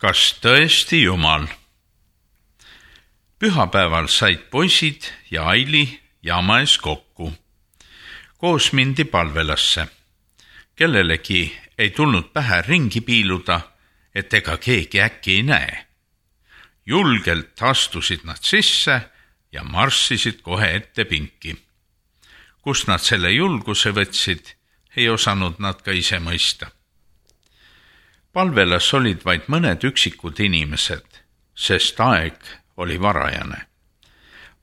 Kas tõesti Jumal? Pühapäeval said poisid ja Aili jaama ees kokku. Koos mindi palvelasse. Kellelegi ei tulnud pähe ringi piiluda, et ega keegi äkki ei näe. Julgelt astusid nad sisse ja marssisid kohe ette pinki. Kust nad selle julguse võtsid, ei osanud nad ka ise mõista. Palvelas olid vaid mõned üksikud inimesed, sest aeg oli varajane.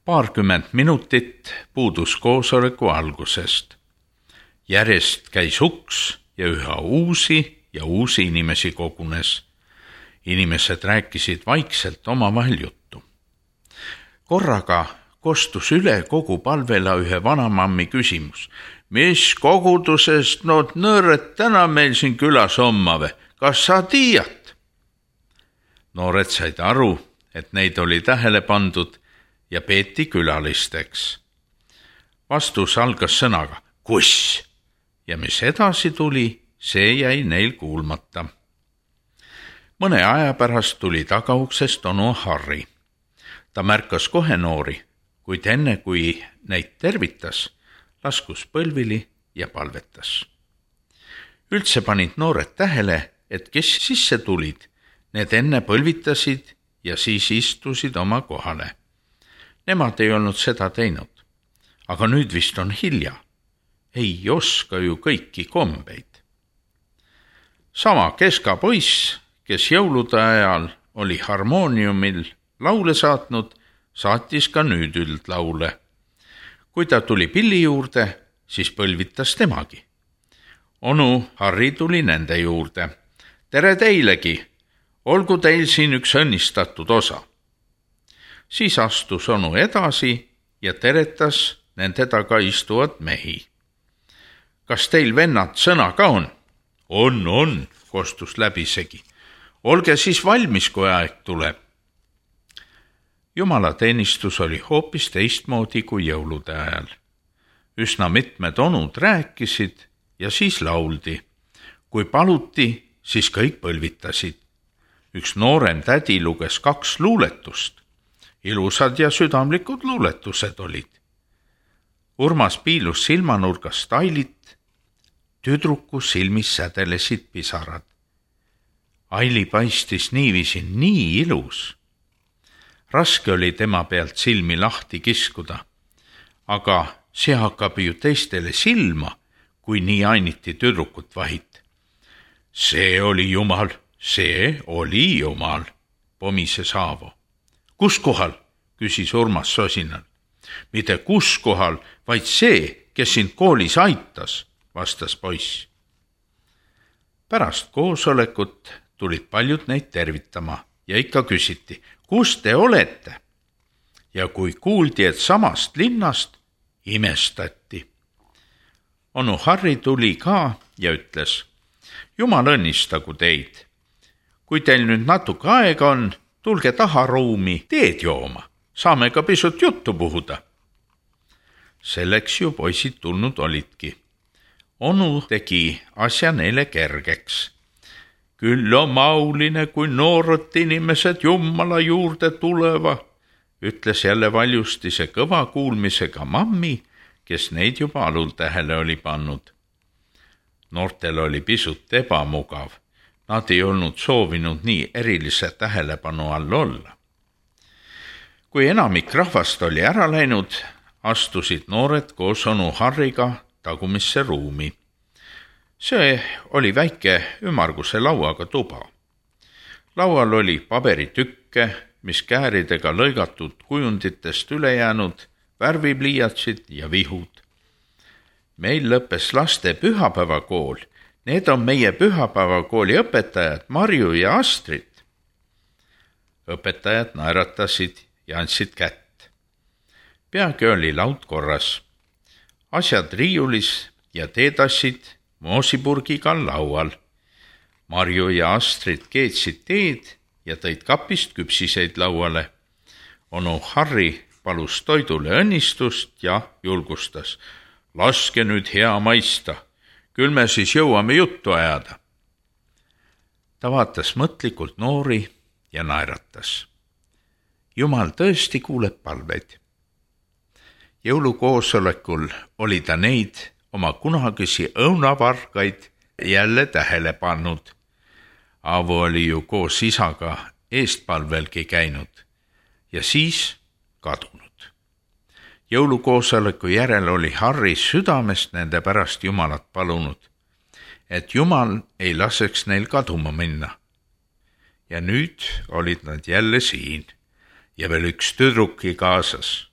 20 minutit puudus koosoleku algusest. Järjest käis uks ja üha uusi inimesi kogunes. Inimesed rääkisid vaikselt omavahel juttu. Korraga kostus üle kogu palvela ühe vanamammi küsimus. Mis kogudusest nood nõõred täna meil siin külas ommave? Kas sa tiiad? Noored said aru, et neid oli tähele pandud ja peeti külalisteks. Vastus algas sõnaga kus ja mis edasi tuli, see jäi neil kuulmata. Mõne aja pärast tuli tagauksest onu Harri. Ta märkas kohe noori, kuid enne kui neid tervitas, laskus põlvili ja palvetas. Üldse panid noored tähele, et kes sisse tulid, need enne põlvitasid ja siis istusid oma kohale. Nemad ei olnud seda teinud, aga nüüd vist on hilja. Ei oska ju kõiki kombeid. Sama Keska poiss, kes jõulude ajal oli harmooniumil laule saatnud, saatis ka nüüd üldlaule. Kui ta tuli pilli juurde, siis põlvitas temagi. Onu Harri tuli nende juurde. Tere teilegi, olgu teil siin üks õnnistatud osa. Siis astus onu edasi ja teretas nende taga istuvad mehi. Kas teil vennad sõna ka on? On, kostus läbisegi. Olge siis valmis, kui aeg tuleb. Jumalateenistus oli hoopis teistmoodi kui jõulude ajal. Üsna mitmed onud rääkisid ja siis lauldi. Kui paluti, siis kõik põlvitasid. Üks noorem tädi luges 2 luuletust. Ilusad ja südamlikud luuletused olid. Urmas piilus silmanurgast Ailit. Tüdruku silmis sädelesid pisarad. Aili paistis niiviisi nii ilus. Raske oli tema pealt silmi lahti kiskuda, aga see hakkab ju teistele silma, kui nii ainiti tüdrukut vahit. See oli Jumal, pomises Aavo. Kus kohal? Küsis Urmas sosinal. Mitte kus kohal, vaid see, kes sind koolis aitas, vastas poiss. Pärast koosolekut tulid paljud neid tervitama ja ikka küsiti, kus te olete? Ja kui kuuldi, et samast linnast, imestati. Onu Harri tuli ka ja ütles, Jumal õnnistagu teid. Kui teil nüüd natuke aega on, tulge taha ruumi teed jooma. Saame ka pisut juttu puhuda. Selleks ju poisid tulnud olidki. Onu tegi asja neile kergeks. Küll on mauline, kui noored inimesed Jumala juurde tuleva, ütles jälle valjustise kõva kuulmisega mammi, kes neid juba alul tähele oli pannud. Noortel oli pisut ebamugav. Nad ei olnud soovinud nii erilise tähelepanu all olla. Kui enamik rahvast oli ära läinud, astusid noored koos onu Harriga tagumisse ruumi. See oli väike ümmarguse lauaga tuba. Laual oli paberitükke, mis kääridega lõigatud kujunditest üle jäänud, värvipliiatsid ja vihud. Meil lõppes laste pühapäevakool. Need on meie pühapäevakooli õpetajad Marju ja Astrid. Õpetajad naeratasid ja andsid kätt. Peagi oli laud korras. Asjad riiulis ja teetassid moosipurgiga laual. Marju ja Astrid keetsid teed ja tõid kapist küpsiseid lauale. Onu Harri palus toidule õnnistust ja julgustas. Laske nüüd hea maista, küll me siis jõuame juttu ajada. ta vaatas mõtlikult noori ja naeratas. Jumal tõesti kuuleb palveid. Jõulukoosolekul oli ta neid oma kunagisi õunavargaid jälle tähele pannud. Aavo oli ju koos isaga eestpalvelgi käinud ja siis kadunud. Jõulukoosoleku järel oli Harri südamest nende pärast Jumalat palunud, et Jumal ei laseks neil kaduma minna. Ja nüüd olid nad jälle siin ja veel üks tüdruki kaasas.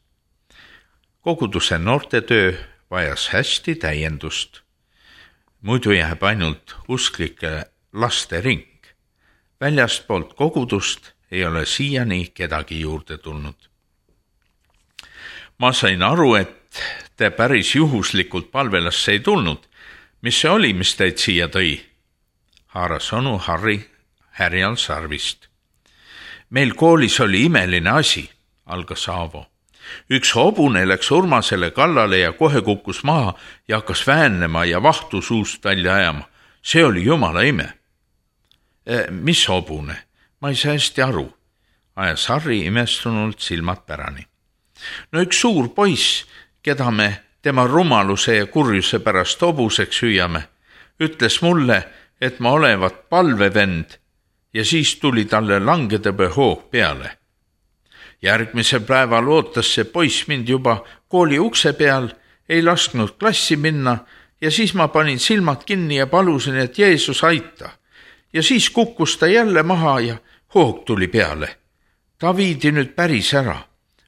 Koguduse noortetöö vajas hästi täiendust. Muidu jääb ainult usklike laste ring. Väljastpoolt kogudust ei ole siiani kedagi juurde tulnud. Ma sain aru, et te päris juhuslikult palvelasse ei tulnud. Mis see oli, mis teid siia tõi? Haaras onu Harri härjal sarvist. Meil koolis oli imeline asi, algas Aavo. Üks hobune läks Urmasele kallale ja kohe kukkus maha ja hakkas väänema ja vahtu suust välja ajama. See oli jumala ime. Mis hobune? Ma ei saa hästi aru, ajas Harri imestunult silmad pärani. No üks suur poiss, keda me tema rumaluse ja kurjuse pärast hobuseks hüüame, ütles mulle, et ma olevat palvevend ja siis tuli talle langedõbe hoog peale. Järgmisel päeval ootas see poiss mind juba kooli ukse peal, ei lasknud klassi minna ja siis ma panin silmad kinni ja palusin, et Jeesus aita. Ja siis kukkus ta jälle maha ja hoog tuli peale. Ta viidi nüüd päris ära.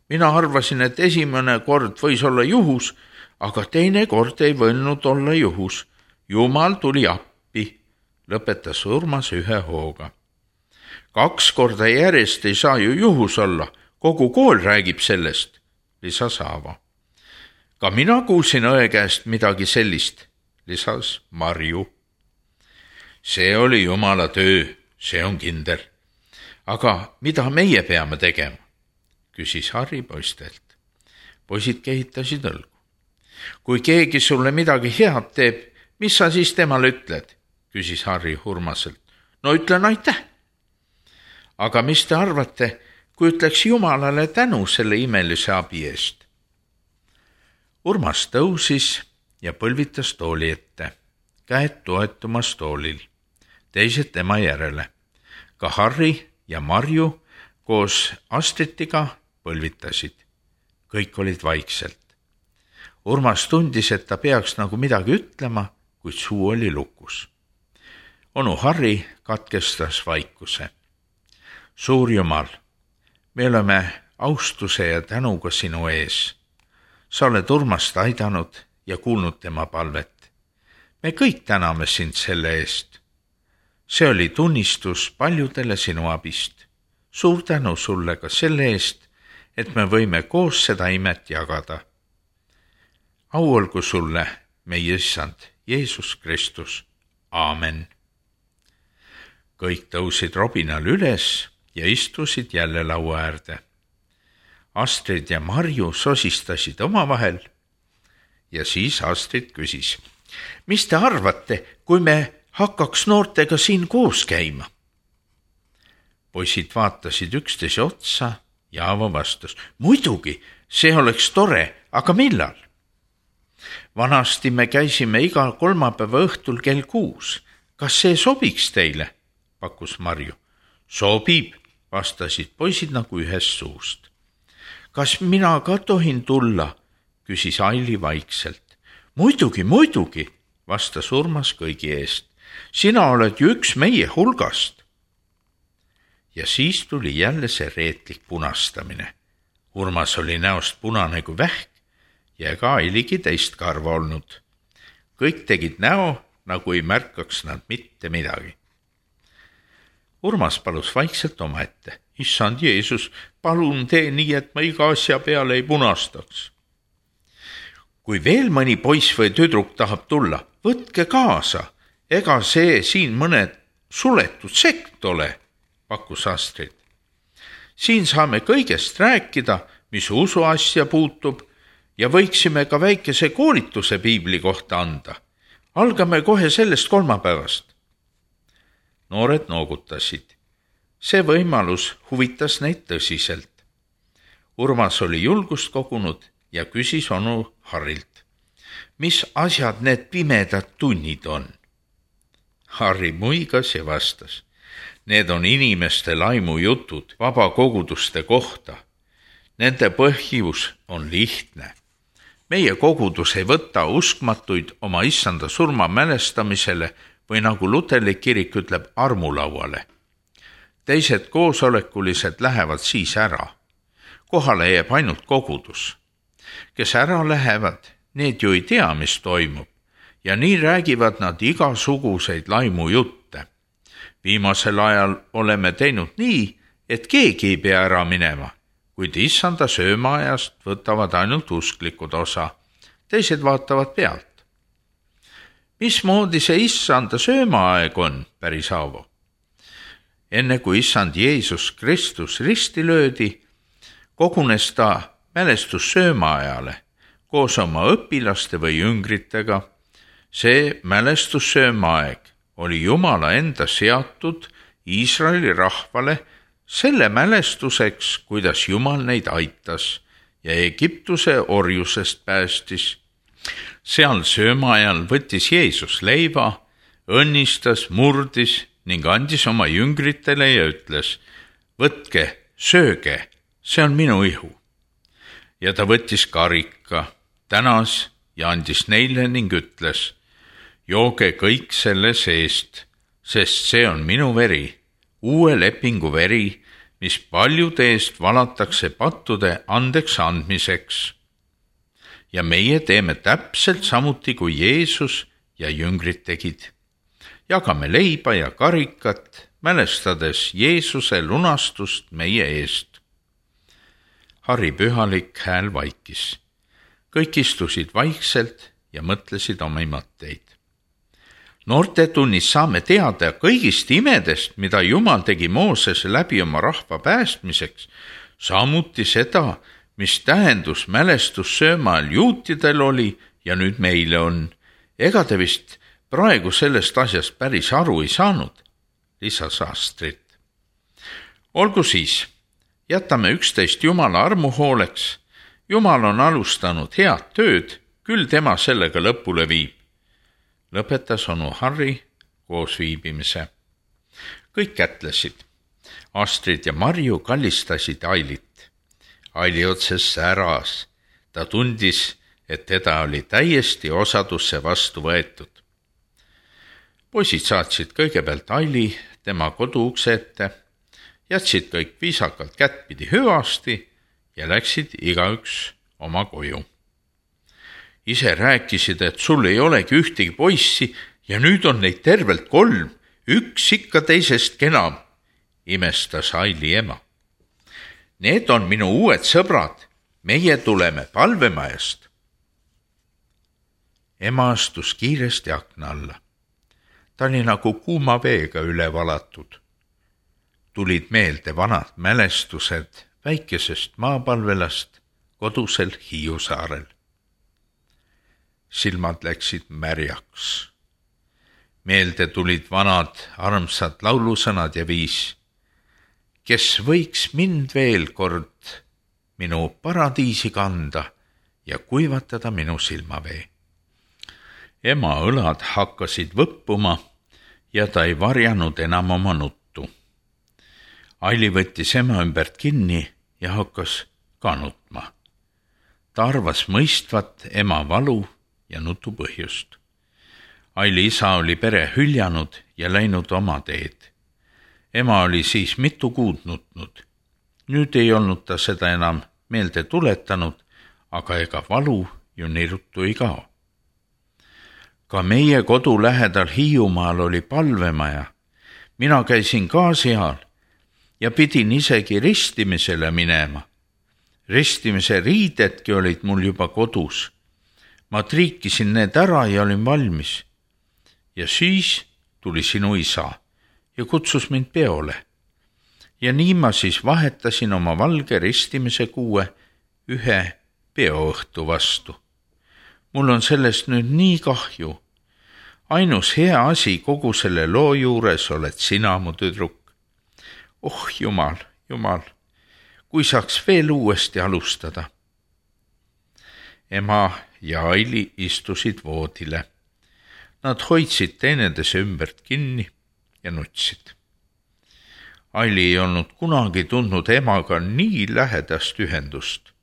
Mina arvasin, et esimene kord võis olla juhus, aga teine kord ei võinud olla juhus. Jumal tuli appi, lõpetas Urmas ühe hooga. 2 korda järjest ei saa ju juhus olla, kogu kool räägib sellest, lisas Aavo. Ka mina kuulsin õe käest midagi sellist, lisas Marju. See oli Jumala töö, see on kindel. Aga mida meie peame tegema? Küsis Harri poistelt. Poisid kehitasid õlgu. Kui keegi sulle midagi head teeb, mis sa siis temale ütled? Küsis Harri Urmaselt. No ütlen aitäh. Aga mis te arvate, kui ütleks Jumalale tänu selle imelise abi eest? Urmas tõusis ja põlvitas tooli ette, käed toetumas toolil, teised tema järele. Ka Harri ja Marju koos Astritiga põlvitasid. Kõik olid vaikselt. Urmas tundis, et ta peaks nagu midagi ütlema, kuid suu oli lukus. Onu Harri katkestas vaikuse. Suur Jumal, me oleme austuse ja tänuga sinu ees. Sa oled Urmast aidanud ja kuulnud tema palvet. Me kõik täname sind selle eest. See oli tunnistus paljudele sinu abist. Suur tänu sulle ka selle eest, et me võime koos seda imet jagada. Au olgu sulle, meie issand, Jeesus Kristus. Aamen. Kõik tõusid robinal üles ja istusid jälle laua äärde. Astrid ja Marju sosistasid omavahel ja siis Astrid küsis. Mis te arvate, kui me hakkaks noortega siin koos käima? Poisid vaatasid üksteise otsa ja Aavo vastas. Muidugi, see oleks tore, aga millal? Vanasti me käisime iga kolmapäeva õhtul kell 6. Kas see sobiks teile? Pakkus Marju. Sobib, vastasid poisid nagu ühest suust. Kas mina ka tohin tulla? Küsis Aili vaikselt. Muidugi, vastas Urmas kõigi eest. Sina oled ju üks meie hulgast. Ja siis tuli jälle see reetlik punastamine. Urmas oli näost punane kui vähk ja ega Ailigi teist karva olnud. Kõik tegid näo, nagu ei märkaks nad mitte midagi. Urmas palus vaikselt omaette. Issand Jeesus, palun tee nii, et ma iga asja peale ei punastaks. Kui veel mõni poiss või tüdruk tahab tulla, võtke kaasa. Ega see siin mõned suletud sekt ole, pakkus Astrid. Siin saame kõigest rääkida, mis usuasja puutub ja võiksime ka väikese koolituse piibli kohta anda. Algame kohe sellest kolmapäevast. Noored noogutasid. See võimalus huvitas neid tõsiselt. Urmas oli julgust kogunud ja küsis onu Harrilt, mis asjad need pimedad tunnid on? Harri muigas ja vastas, need on inimeste laimujutud vabakoguduste kohta. Nende põhjus on lihtne. Meie kogudus ei võta uskmatuid oma issanda surma mälestamisele või nagu luterlik kirik ütleb, armulauale. Teised koosolekulised lähevad siis ära. Kohale jääb ainult kogudus. Kes ära lähevad, need ju ei tea, mis toimub. Ja nii räägivad nad igasuguseid laimujutte. Viimasel ajal oleme teinud nii, et keegi ei pea ära minema, kuid issanda söömaajast võtavad ainult usklikud osa. Teised vaatavad pealt. Mismoodi see issanda söömaaeg on, päris Aavo? Enne kui issand Jeesus Kristus risti löödi, kogunes ta mälestussöömaajale koos oma õpilaste või jüngritega. See mälestussöömaaeg oli Jumala enda seatud Iisraeli rahvale selle mälestuseks, kuidas Jumal neid aitas ja Egiptuse orjusest päästis. Seal söömaajal võttis Jeesus leiva, õnnistas, murdis ning andis oma jüngritele ja ütles, võtke, sööge, see on minu ihu. Ja ta võttis karika, tänas ja andis neile ning ütles, jooge kõik selle seest, sest see on minu veri, uue lepingu veri, mis paljude eest valatakse pattude andeks andmiseks. Ja meie teeme täpselt samuti, kui Jeesus ja jüngrid tegid. Jagame leiba ja karikat, mälestades Jeesuse lunastust meie eest. Harri pühalik hääl vaikis. Kõik istusid vaikselt ja mõtlesid oma mõtteid. Noortetunnis saame teada kõigist imedest, mida Jumal tegi Moosese läbi oma rahva päästmiseks, samuti seda, mis tähendus mälestussöömaal juutidel oli ja nüüd meile on. Ega te vist praegu sellest asjast päris aru ei saanud, lisas Astrid. Olgu siis, jätame üksteist Jumala armu hooleks. Jumal on alustanud head tööd, küll tema sellega lõpule viib. Lõpetas onu Harri koos viibimise. Kõik kätlesid. Astrid ja Marju kallistasid Ailit. Aili otses säras. Ta tundis, et teda oli täiesti osadusse vastu võetud. Poisid saatsid kõigepealt Aili tema koduukse ette, jätsid kõik viisakalt kättpidi hüvasti ja läksid igaüks oma koju. Ise rääkisid, et sul ei olegi ühtegi poissi ja nüüd on neid tervelt 3, üks ikka teisest kenam, imestas Aili ema. Need on minu uued sõbrad, meie tuleme palvemajast. Ema astus kiiresti akna alla. Ta oli nagu kuuma veega üle valatud. Tulid meelde vanad mälestused väikesest maapalvelast kodusel Hiiu saarel. Silmad läksid märjaks. Meelde tulid vanad armsad laulusõnad ja viis. Kes võiks mind veel kord minu paradiisi kanda ja kuivatada minu silmavee. Ema õlad hakkasid võppuma ja ta ei varjanud enam oma nuttu. Aili võttis ema ümbert kinni ja hakkas ka nutma. Ta arvas mõistvat ema valu ja nutu põhjust. Aili isa oli pere hüljanud ja läinud oma teed. Ema oli siis mitu kuud nutnud. Nüüd ei olnud ta seda enam meelde tuletanud, aga ega valu ju nii ruttu ei kao. Ka meie kodu lähedal Hiiumaal oli palvemaja. Mina käisin ka seal ja pidin isegi ristimisele minema. Ristimise riidedki olid mul juba kodus. Ma triikisin need ära ja olin valmis. Ja siis tuli sinu isa ja kutsus mind peole. Ja nii ma siis vahetasin oma valge ristimise kuue ühe peoõhtu vastu. Mul on sellest nüüd nii kahju. ainus hea asi kogu selle loo juures oled sina, mu tüdruk. Oh Jumal, Jumal, kui saaks veel uuesti alustada. Ema ja Aili istusid voodile. Nad hoidsid teineteise ümbert kinni ja nutsid. Aili ei olnud kunagi tundnud emaga nii lähedast ühendust.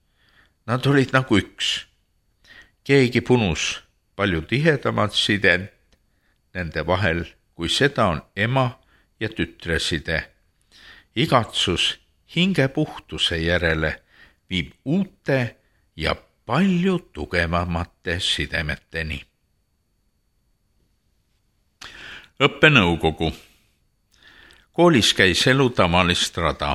Nad olid nagu üks. Keegi punus palju tihedamat side nende vahel, kui seda on ema ja tütre side. Igatsus hingepuhtuse järele viib uute ja palju tugevamate sidemeteni. Õppenõukogu. Koolis käis elu tavalist rada.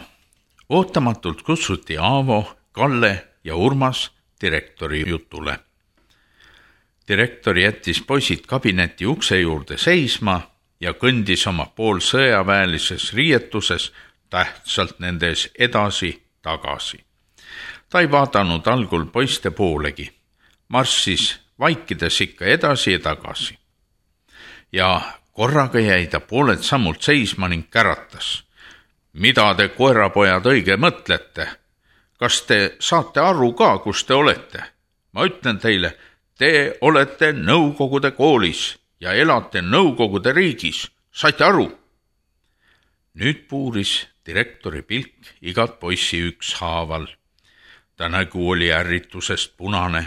Ootamatult kutsuti Aavo, Kalle ja Urmas direktori jutule. Direktor jättis poisid kabineti ukse juurde seisma ja kõndis oma poolsõjaväelises riietuses tähtsalt nendes edasi-tagasi. Ta ei vaadanud algul poiste poolegi, marssis vaikides ikka edasi ja tagasi. Ja korraga jäi ta pooled sammult seisma ning käratas. Mida te, koerapojad, õige mõtlete? Kas te saate aru ka, kus te olete? Ma ütlen teile, te olete Nõukogude koolis ja elate Nõukogude riigis. Saite aru? Nüüd puuris direktori pilk igat poissi ükshaaval. Ta nägu oli ärritusest punane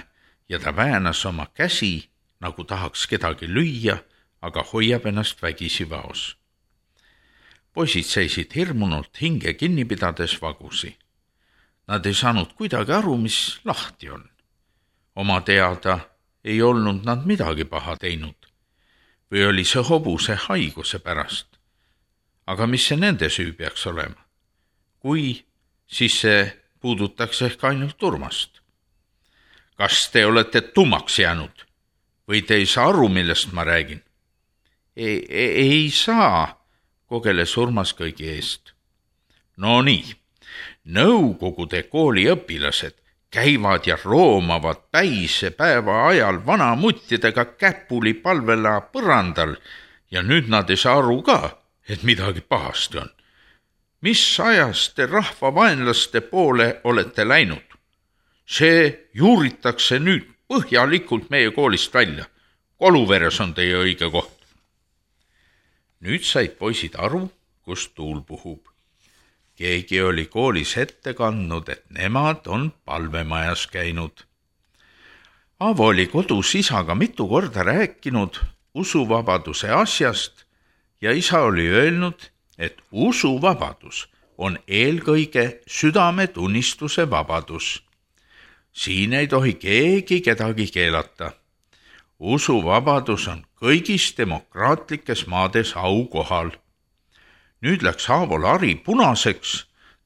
ja ta väänas oma käsi, nagu tahaks kedagi lüüa, aga hoiab ennast vägisi vaos. Poisid seisid hirmunult hinge kinni pidades vagusi. Nad ei saanud kuidagi aru, mis lahti on. Oma teada ei olnud nad midagi paha teinud. Või oli see hobuse haiguse pärast. Aga mis see nende süü peaks olema? Kui, siis see puudutaks ehk ainult Urmast. Kas te olete tummaks jäänud? Või te ei saa aru, millest ma räägin? Ei saa, kogeles Urmas kõigi eest. No nii, Nõukogude kooli õpilased käivad ja roomavad päise päeva ajal vanamuttidega käpuli palvela põrandal ja nüüd nad ei saa aru ka, et midagi pahasti on. Mis ajast te rahvavaenlaste poole olete läinud? See juuritakse nüüd põhjalikult meie koolist välja. Koluveres on teie õige koht. Nüüd said poisid aru, kus tuul puhub. Keegi oli koolis ette kandnud, et nemad on palvemajas käinud. Aavo oli kodus isaga mitu korda rääkinud usuvabaduse asjast ja isa oli öelnud, et usuvabadus on eelkõige südametunnistuse vabadus. Siin ei tohi keegi kedagi keelata. Usuvabadus on kõigis demokraatlikes maades aukohal. Nüüd läks Aavol hari punaseks,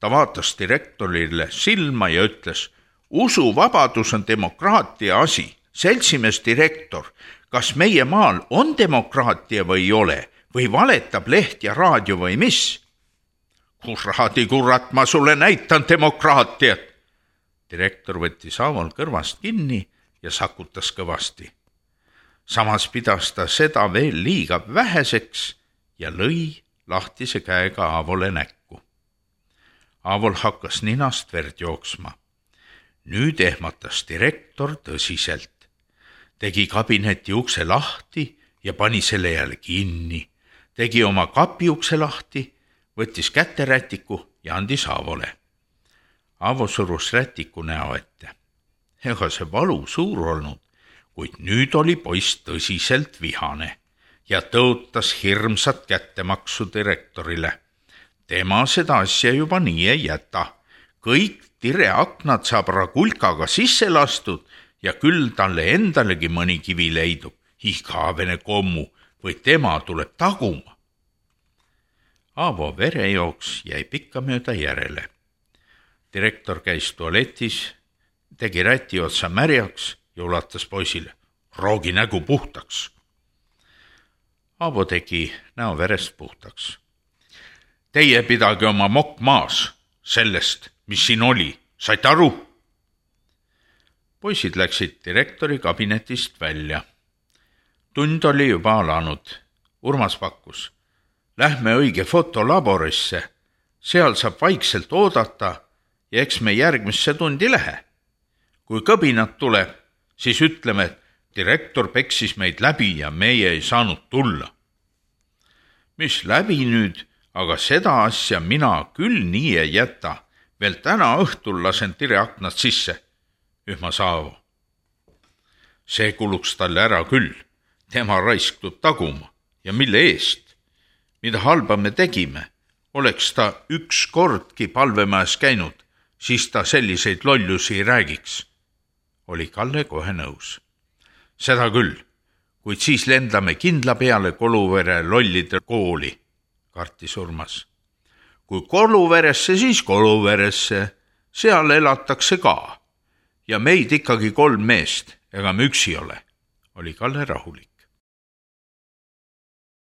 ta vaatas direktorile silma ja ütles, usuvabadus on demokraatia asi. Seltsimees direktor, kas meie maal on demokraatia või ei ole? Või valetab leht ja raadio või mis? Kuradi kurat, ma sulle näitan demokraatiat. Direktor võttis Aavol kõrvast kinni ja sakutas kõvasti. Samas pidas ta seda veel liiga väheseks ja lõi lahtise käega Aavole näkku. Aavol hakkas ninast verd jooksma. Nüüd ehmatas direktor tõsiselt. Tegi kabineti ukse lahti ja pani selle jälle kinni. Tegi oma kapi ukse lahti, võttis kätte rätiku ja andis Aavole. Aavo surus rätiku näo ette. Ega see valu suur olnud, kuid nüüd oli poiss tõsiselt vihane ja tõotas hirmsat kättemaksu direktorile. Tema seda asja juba nii ei jäta. Kõik tireaknad saab ragulkaga sisse lastud ja küll talle endalegi mõni kivi leidub. Igavene kommu või tema tuleb taguma. Aavo verejooks jäi pikkamööda järele. Direktor käis tualetis, tegi räti otsa märjaks ja ulatas poisile. Roogi nägu puhtaks. Aavo tegi näo verest puhtaks. Teie pidage oma mokk maas sellest, mis siin oli. Saite aru? Poisid läksid direktori kabinetist välja. Tund oli juba alanud. Urmas pakkus. Lähme õige fotolaborisse. Seal saab vaikselt oodata ja eks me järgmisse tundi lähe. Kui kõbinat tuleb, siis ütleme, et direktor peksis meid läbi ja meie ei saanud tulla. Mis läbi nüüd, aga seda asja mina küll nii ei jäta. Veel täna õhtul lasen Tire aknad sisse, ühmas Aavo. See kuluks talle ära küll. Tema raisk tuleb taguma. Ja mille eest? Mida halba me tegime? Oleks ta üks kordki palvemajas käinud, siis ta selliseid lollusi ei räägiks. Oli Kalle kohe nõus. Seda küll, kuid siis lendame kindla peale Koluvere lollide kooli, kartis Urmas. Kui Koluveresse, siis Koluveresse, seal elatakse ka. Ja meid ikkagi 3 meest, ega me üksi ole, oli Kalle rahulik.